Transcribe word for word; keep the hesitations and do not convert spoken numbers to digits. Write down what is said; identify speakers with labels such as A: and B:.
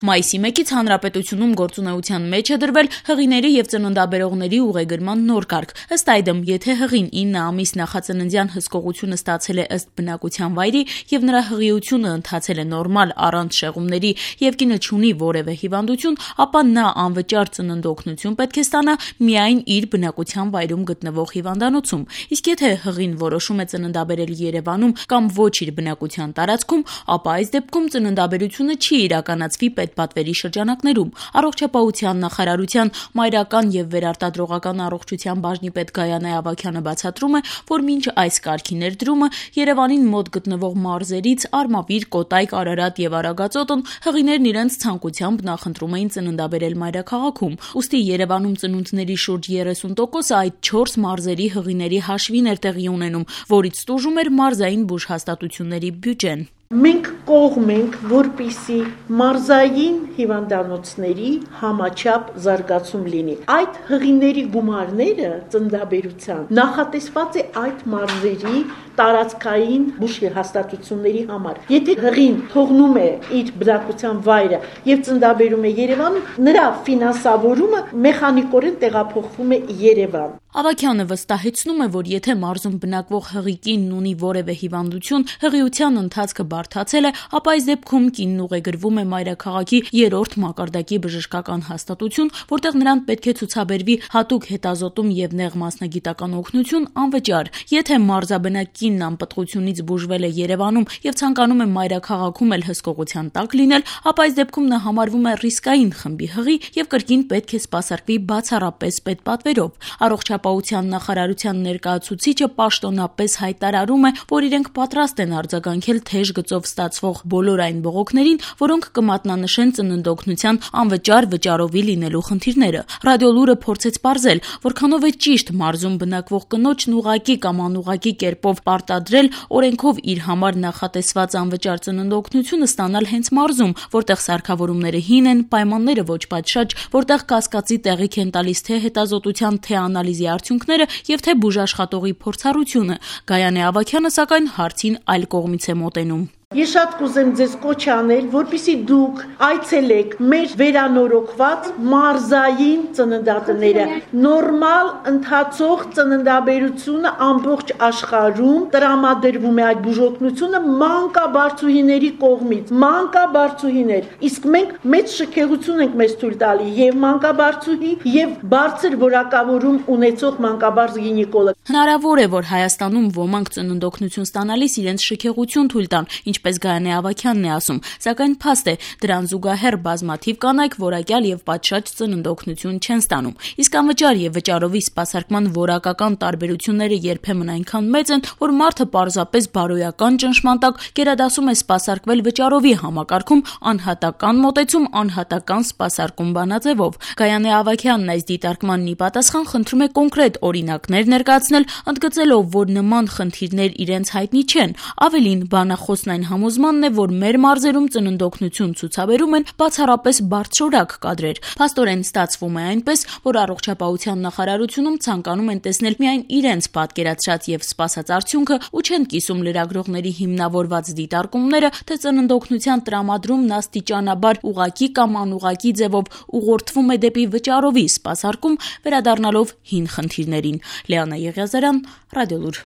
A: Մայիսի մեկից հանրապետությունում գործունեության մեջ է դրվել հղիների եւ ծննդաբերողների ուղեգրման նոր կարգ։ Ըստ այդմ, եթե հղին ինը ամիս նախածննդյան հսկողությունը ստացել է ըստ բնակության վայրի եւ նրա հղիությունը ընթացել է նորմալ առանց շեղումների եւ կինը չունի որևէ հիվանդություն, ապա նա անվճար ծննդօգնություն պետք է ստանա միայն իր բնակության վայրում գտնվող հիվանդանոցում։ Իսկ եթե հղին որոշում է ծննդաբերել Երևանում կամ ոչ իր բնակության տարածքում, ապա այս դեպքում ծննդաբերությունը չի իրականացվի պետպատվերի շրջանակներում։ Առողջապահության նախարարության մայրական եւ վերարտադրողական առողջության բաժնի պետ Գայանե Ավագյանը բացատրում է, որ մինչ այս կարգի ներդրումը Երևանին մոտ գտնվող մարզերից Արմավիր, Կոտայք, Արարատ եւ Արագածոտն հղիներն իրենց ցանկությամբ նախընտրում էին ծննդաբերել մայրաքաղաքում։ Ուստի Երևանում ծնունդների շուրջ երեսուն տոկոսը այդ չորս մարզերի հղիների հաշվին էր տեղի ունենում, որից տուժում էր մարզային բուժհաստատությունների բյուջեն։
B: Մենք կողմ ենք, որպիսի մարզային հիվանդանոցների համաչափ զարգացում լինի։ Այդ հղիների գումարները ծննդաբերության նախատեսված է այդ մարզերի տարածքային բուժհաստատությունների համար։ Եթե հղին թողնում է իր բնակության վայրը եւ ծննդաբերում է Երևանում, նրա ֆինանսավորումը մեխանիկորեն տեղափոխվում է Երևան։
A: Ավագյանը վստահեցնում է, որ եթե մարզում բնակվող հղի կինն ունի որևէ հիվանդություն, հղիության ընթացքը բարդացել է, ապա այս դեպքում կինն ուղեգրվում է մայրաքաղաքի երրորդ մակարդակի բժշկական հաստատություն, որտեղ նրան պետք է ցուցաբերվի հատուկ հետազոտում եւ նեղ մասնագիտական օգնություն անվճար։ Եթե մարզաբնակ կինն անպտղությունից բուժվել է Երևանում եւ ցանկանում է մայրաքաղաքում էլ հսկողության տակ լինել, ապա այս դեպքում նա համարվում է ռիսկային խմբի հղի եւ կրկին պետք է սպասարկվի բացառապես պետպատվերով։ Առողջապահության նախարարության ներկայացուցիչը պաշտոնապես հայտարարում է, որ իրենք պատրաստ են արձագանքել թեժ գծով ստացվող բոլոր այն բողոքներին, որոնք կմատնանշեն ծննդօգնության անվճար վճարովի լինելու խնդիրները։ Ռադիոլուրը փորձեց պարզել, որքանով է ճիշտ մարզում բնակվող կնոջն ուղղակի կամ անուղղակի կերպով պարտադրել օրենքով իր համար նախատեսված անվճար ծննդօգնությունը ստանալ հենց մարզում, որտեղ սարքավորումները հին են, պայմանները ոչ պատշաճ, որտեղ կասկածի տեղիք են տալիս թե հետազոտության, թե անալիզի արդյունքները եւ թե բուժաշխատողի փորձառությունը։ Գայանե Ավագյանը սակայն հարցին այլ կողմից է մոտենում։
B: Ես շատ կուզեմ ձեզ կոչ անել, որպեսզի դուք այցելեք մեր վերանորոգված մարզային ծննդատները։ Նորմալ ընթացող ծննդաբերությունը ամբողջ աշխարհում տրամադրվում է այդ բուժօգնությունը մանկաբարձուհիների կողմից։ Մանկաբարձուհիներ, իսկ մենք մեծ շքեղություն ենք մեզ թույլ տալի եւ մանկաբարձուհի եւ բարձր որակավորում ունեցող մանկաբարձ գինեկոլոգ։
A: Հնարավոր է, որ Հայաստանում ոմանք ծննդօգնություն ստանալիս իրենց շքեղություն թույլ տան, ինչպես Գայանե Ավագյանն է ասում, սակայն փաստ է, դրան զուգահեռ բազմաթիվ կանայք որակյալ եւ պատշաճ ծննդօգնություն չեն ստանում։ Իսկ անվճար եւ վճարովի սպասարկման որակական տարբերությունները երբեմն այնքան մեծ են, որ մարդը պարզապես բարոյական ճնշման տակ գերադասում է սպասարկվել վճարովի համակարգում անհատական մոտեցում, անհատական սպասարկում բանաձևով։ Գայանե Ավագյանն այս դիտարկմանն ի պատասխան խնդրում է կոնկրետ օրինակներ ներկայացնել, ընդգծելով, որ նման խնդիրներ իրենց հայտնի չեն։ Ավելին, բանախոսն այն համոզմանն է, որ մեր մարզերում ծննդօգնություն ցուցաբերում են բացառապես բարձրորակ կադրեր։ Փաստորեն ստացվում է այնպես, որ առողջապահության նախարարությունում ցանկանում են տեսնել միայն իրենց պատկերացրած եւ սպասած արդյունքը ու չեն կիսում լրագրողների հիմնավորված դիտարկումները, թե ծննդօգնության տրամադրումն աստիճանաբար ուղղակի կամ անուղղակի ձևով ուղղորդվում է դեպի վճարովի սպասարկում, վերադառնալով հին խնդիրներին։ Լիանա Եղիազարյան, Ռադիոլուր։